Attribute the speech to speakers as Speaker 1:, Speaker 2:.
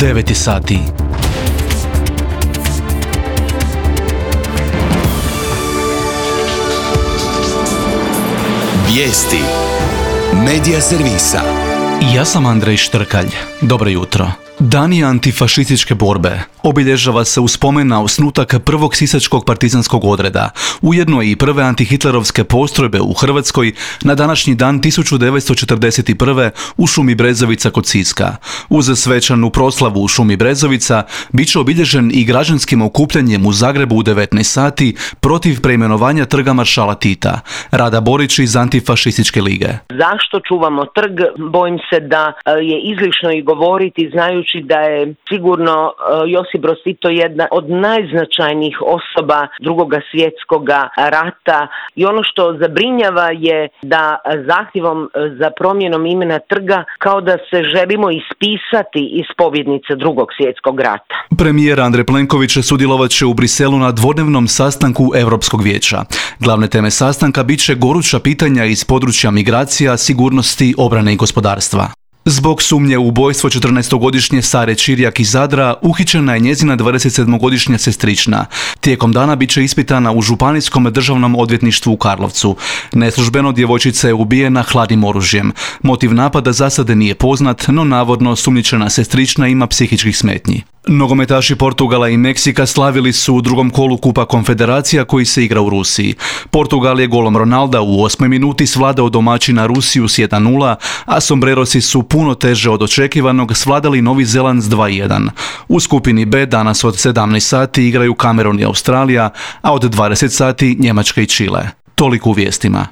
Speaker 1: 9 sati.
Speaker 2: Vijesti Medija servisa.
Speaker 1: Ja sam Andrej Štrkalj. Dobro jutro. Dan antifašističke borbe obilježava se u spomen na osnutak prvog sisačkog partizanskog odreda, ujedno i prve antihitlerovske postrojbe u Hrvatskoj na današnji dan 1941. u šumi Brezovica kod Siska. Uz svečanu proslavu u šumi Brezovica bit će obilježen i građanskim okupljanjem u Zagrebu u 19 sati protiv preimenovanja trga maršala Tita. Rada Borić iz Antifašističke lige.
Speaker 3: Zašto čuvamo trg? Bojim se da je izlišno i govoriti, znajući da je sigurno Josip Broz Tito jedna od najznačajnijih osoba Drugog svjetskog rata i ono što zabrinjava je da zahtjevom za promjenom imena trga kao da se želimo ispisati iz pobjednice Drugog svjetskog rata.
Speaker 1: Premijer Andrej Plenković sudjelovat će u Briselu na dvodnevnom sastanku Europskog vijeća. Glavne teme sastanka bit će goruća pitanja iz područja migracija, sigurnosti, obrane i gospodarstva. Zbog sumnje u ubojstvo 14-godišnje Sare Čirjak iz Zadra uhićena je njezina 27-godišnja sestrična. Tijekom dana bit će ispitana u Županijskom državnom odvjetništvu u Karlovcu. Neslužbeno djevojčica je ubijena hladnim oružjem. Motiv napada zasade nije poznat, no navodno sumnjičena sestrična ima psihičkih smetnji. Nogometaši Portugala i Meksika slavili su u drugom kolu Kupa Konfederacija koji se igra u Rusiji. Portugal je golom Ronalda u 8. minuti svladao domaćina Rusiju s 1:0, a sombrerosi su puno teže od očekivanog svladali Novi Zeland s 2:1. U skupini B danas od 17 sati igraju Kamerun i Australija, a od 20 sati Njemačka i Čile. Toliko u vijestima.